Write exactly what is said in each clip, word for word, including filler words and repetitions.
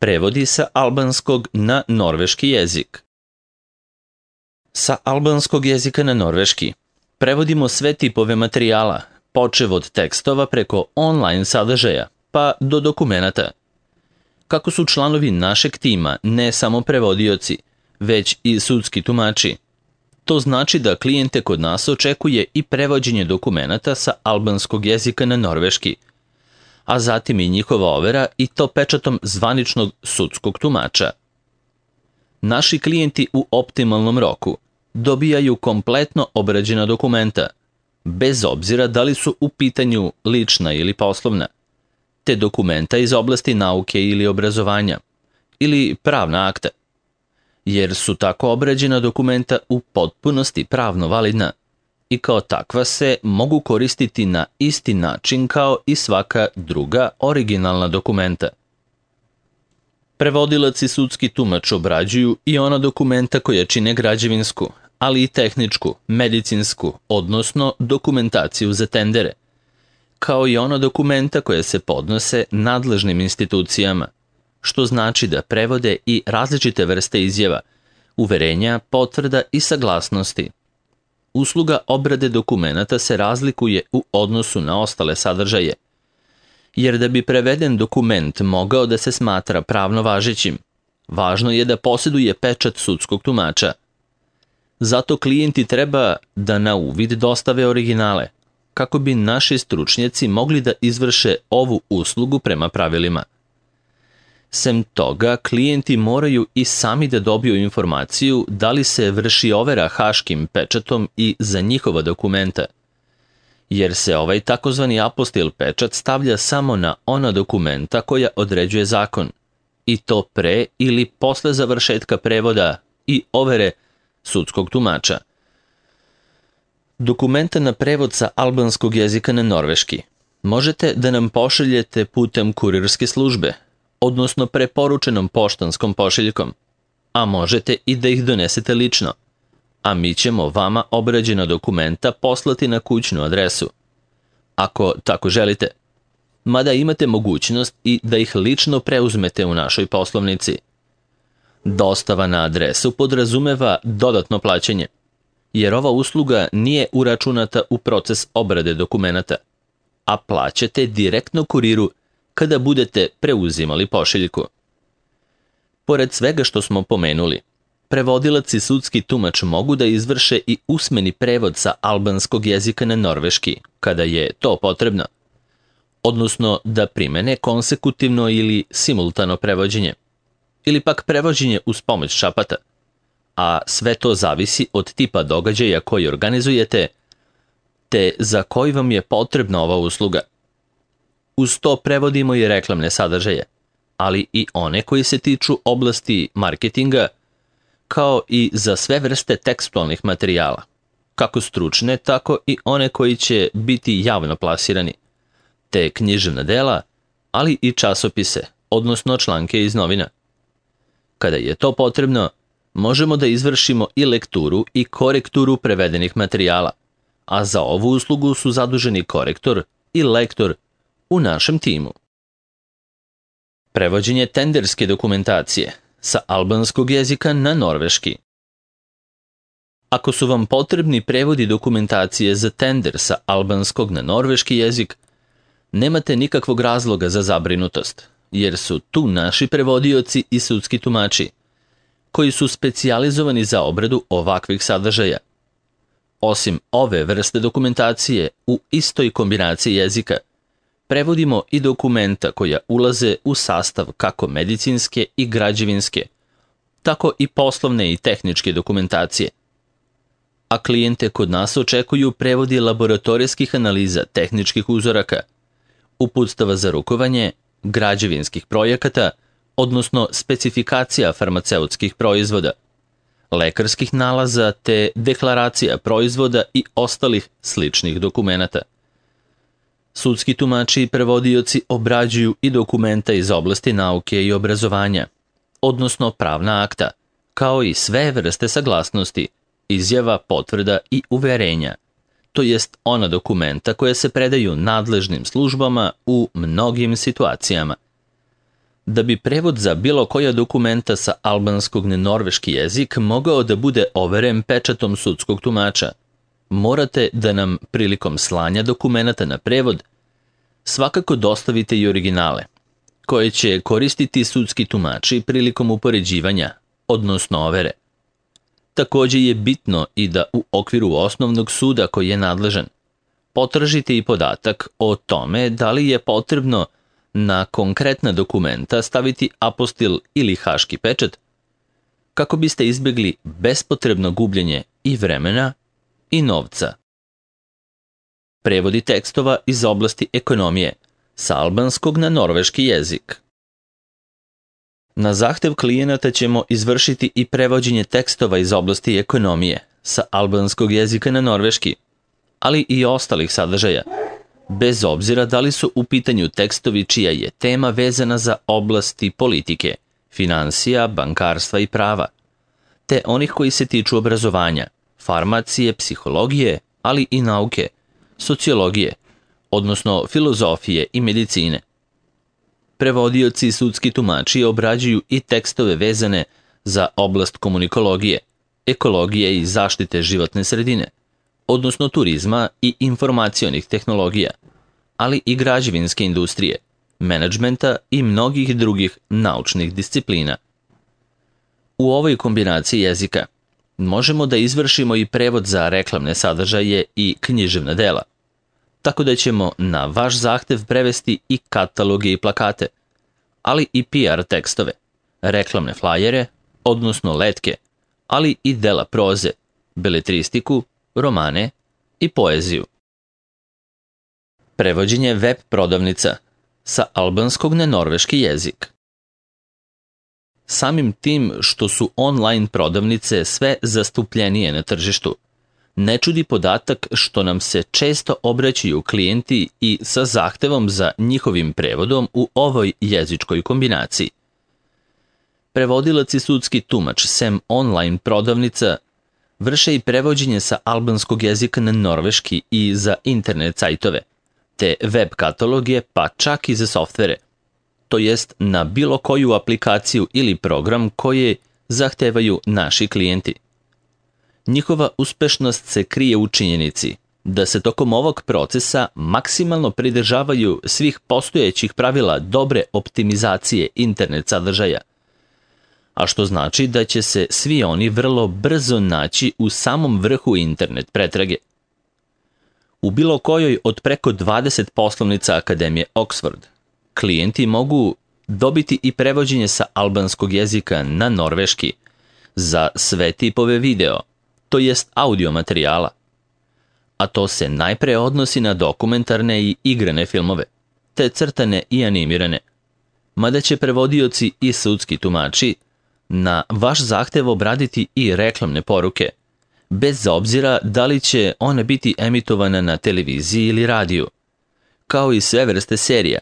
Prevodi sa albanskog na norveški jezik. Sa albanskog jezika na norveški prevodimo sve tipove materijala, počev od tekstova preko online sadržaja, pa do dokumenata. Kako su članovi našeg tima ne samo prevodioci, već i sudski tumači, to znači da klijente kod nas očekuje i prevođenje dokumenata sa albanskog jezika na norveški, a zatim i njihova overa i to pečatom zvaničnog sudskog tumača. Naši klijenti u optimalnom roku dobijaju kompletno obrađena dokumenta, bez obzira da li su u pitanju lična ili poslovna, te dokumenta iz oblasti nauke ili obrazovanja, ili pravna akta, jer su tako obrađena dokumenta u potpunosti pravno validna i kao takva se mogu koristiti na isti način kao i svaka druga originalna dokumenta. Prevodilac i sudski tumač obrađuju i ona dokumenta koja čine građevinsku, ali i tehničku, medicinsku, odnosno dokumentaciju za tendere, kao i ona dokumenta koja se podnose nadležnim institucijama, što znači da prevode i različite vrste izjava, uverenja, potvrda i saglasnosti. Usluga obrade dokumenata se razlikuje u odnosu na ostale sadržaje, jer da bi preveden dokument mogao da se smatra pravno važećim, važno je da posjeduje pečat sudskog tumača. Zato klijenti treba da na uvid dostave originale, kako bi naši stručnjaci mogli da izvrše ovu uslugu prema pravilima. Sem toga, klijenti moraju i sami da dobiju informaciju da li se vrši overa haškim pečatom i za njihova dokumenta, jer se ovaj takozvani apostil pečat stavlja samo na ona dokumenta koja određuje zakon, i to pre ili posle završetka prevoda i overe sudskog tumača. Dokumenta na prevod sa albanskog jezika na norveški možete da nam pošaljete putem kurirske službe, odnosno preporučenom poštanskom pošiljkom, a možete i da ih donesete lično, a mi ćemo vama obrađena dokumenta poslati na kućnu adresu, ako tako želite, mada imate mogućnost i da ih lično preuzmete u našoj poslovnici. Dostava na adresu podrazumeva dodatno plaćanje, jer ova usluga nije uračunata u proces obrade dokumenata, a plaćate direktno kuriru kada budete preuzimali pošiljku. Pored svega što smo pomenuli, prevodilac i sudski tumač mogu da izvrše i usmeni prevod sa albanskog jezika na norveški, kada je to potrebno, odnosno da primene konsekutivno ili simultano prevođenje, ili pak prevođenje uz pomoć šapata, a sve to zavisi od tipa događaja koji organizujete, te za koji vam je potrebna ova usluga. Uz to prevodimo i reklamne sadržaje, ali i one koji se tiču oblasti marketinga, kao i za sve vrste tekstualnih materijala, kako stručne, tako i one koji će biti javno plasirani, te književna dela, ali i časopise, odnosno članke iz novina. Kada je to potrebno, možemo da izvršimo i lekturu i korekturu prevedenih materijala, a za ovu uslugu su zaduženi korektor i lektor u našem timu. Prevođenje tenderske dokumentacije sa albanskog jezika na norveški. Ako su vam potrebni prevodi dokumentacije za tender sa albanskog na norveški jezik, nemate nikakvog razloga za zabrinutost, jer su tu naši prevodioci i sudski tumači, koji su specijalizovani za obradu ovakvih sadržaja. Osim ove vrste dokumentacije u istoj kombinaciji jezika, prevodimo i dokumenta koja ulaze u sastav kako medicinske i građevinske, tako i poslovne i tehničke dokumentacije. A klijente kod nas očekuju prevodi laboratorijskih analiza tehničkih uzoraka, uputstava za rukovanje, građevinskih projekata, odnosno specifikacija farmaceutskih proizvoda, lekarskih nalaza te deklaracija proizvoda i ostalih sličnih dokumenata. Sudski tumači i prevodioci obrađuju i dokumenta iz oblasti nauke i obrazovanja, odnosno pravna akta, kao i sve vrste saglasnosti, izjava, potvrda i uverenja, to jest ona dokumenta koje se predaju nadležnim službama u mnogim situacijama. Da bi prevod za bilo koja dokumenta sa albanskog na norveški jezik mogao da bude overen pečatom sudskog tumača, morate da nam prilikom slanja dokumenata na prevod svakako dostavite i originale, koje će koristiti sudski tumači prilikom upoređivanja, odnosno overe. Takođe je bitno i da u okviru osnovnog suda koji je nadležan potražite i podatak o tome da li je potrebno na konkretna dokumenta staviti apostil ili haški pečat, kako biste izbjegli bespotrebno gubljenje i vremena i novca. Prevodi tekstova iz oblasti ekonomije sa albanskog na norveški jezik. Na zahtev klijenata ćemo izvršiti i prevođenje tekstova iz oblasti ekonomije sa albanskog jezika na norveški, ali i ostalih sadržaja, bez obzira da li su u pitanju tekstovi čija je tema vezana za oblasti politike, finansija, bankarstva i prava, te onih koji se tiču obrazovanja, farmacije, psihologije, ali i nauke, sociologije, odnosno filozofije i medicine. Prevodioci i sudski tumači obrađuju i tekstove vezane za oblast komunikologije, ekologije i zaštite životne sredine, odnosno turizma i informacionih tehnologija, ali i građevinske industrije, menadžmenta i mnogih drugih naučnih disciplina. U ovoj kombinaciji jezika možemo da izvršimo i prevod za reklamne sadržaje i književna dela, tako da ćemo na vaš zahtev prevesti i kataloge i plakate, ali i P R tekstove, reklamne flajere, odnosno letke, ali i dela proze, beletristiku, romane i poeziju. Prevođenje web prodavnica sa albanskog na norveški jezik. Samim tim što su online prodavnice sve zastupljenije na tržištu, ne čudi podatak što nam se često obraćaju klijenti i sa zahtevom za njihovim prevodom u ovoj jezičkoj kombinaciji. Prevodilac i sudski tumač sem online prodavnica vrše i prevođenje sa albanskog jezika na norveški i za internet sajtove, te web kataloge pa čak i za softvere, to jest na bilo koju aplikaciju ili program koje zahtevaju naši klijenti. Njihova uspešnost se krije u činjenici da se tokom ovog procesa maksimalno pridržavaju svih postojećih pravila dobre optimizacije internet sadržaja, a što znači da će se svi oni vrlo brzo naći u samom vrhu internet pretrage. U bilo kojoj od preko dvadeset poslovnica Akademije Oxford, klijenti mogu dobiti i prevođenje sa albanskog jezika na norveški za sve tipove video, to jest audio materijala, a to se najpre odnosi na dokumentarne i igrane filmove, te crtane i animirane, mada će prevodioci i sudski tumači na vaš zahtev obraditi i reklamne poruke, bez obzira da li će one biti emitovane na televiziji ili radiju, kao i sve vrste serija,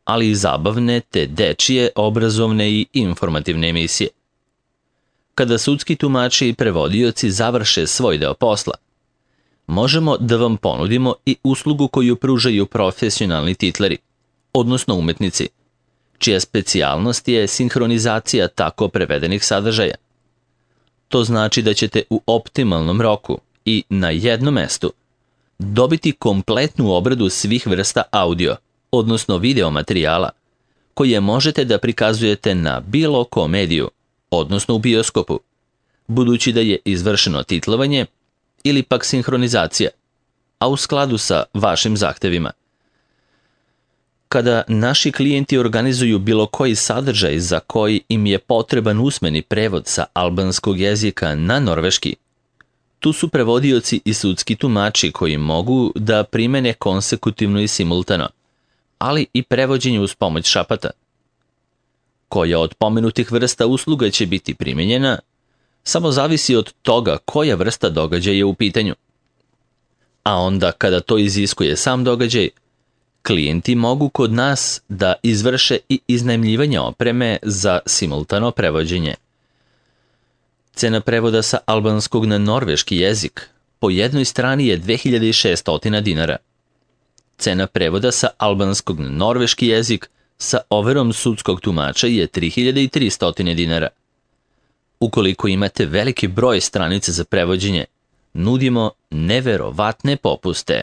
ali i zabavne te dečije, obrazovne i informativne emisije. Kada sudski tumači i prevodioci završe svoj deo posla, možemo da vam ponudimo i uslugu koju pružaju profesionalni titleri, odnosno umetnici, čija specijalnost je sinhronizacija tako prevedenih sadržaja. To znači da ćete u optimalnom roku i na jednom mestu dobiti kompletnu obradu svih vrsta audio, odnosno video materijala, koje možete da prikazujete na bilo komediju, odnosno u bioskopu, budući da je izvršeno titlovanje ili pak sinhronizacija, a u skladu sa vašim zahtevima. Kada naši klijenti organizuju bilo koji sadržaj za koji im je potreban usmeni prevod sa albanskog jezika na norveški, tu su prevodioci i sudski tumači koji mogu da primene konsekutivno i simultano, ali i prevođenje uz pomoć šapata. Koja od pomenutih vrsta usluga će biti primenjena, samo zavisi od toga koja vrsta događaja je u pitanju. A onda kada to iziskuje sam događaj, klijenti mogu kod nas da izvrše i iznajmljivanje opreme za simultano prevođenje. Cena prevoda sa albanskog na norveški jezik po jednoj strani je dve hiljade šeststo dinara. Cena prevoda sa albanskog na norveški jezik sa overom sudskog tumača je tri hiljade tristo dinara. Ukoliko imate veliki broj stranica za prevođenje, nudimo neverovatne popuste.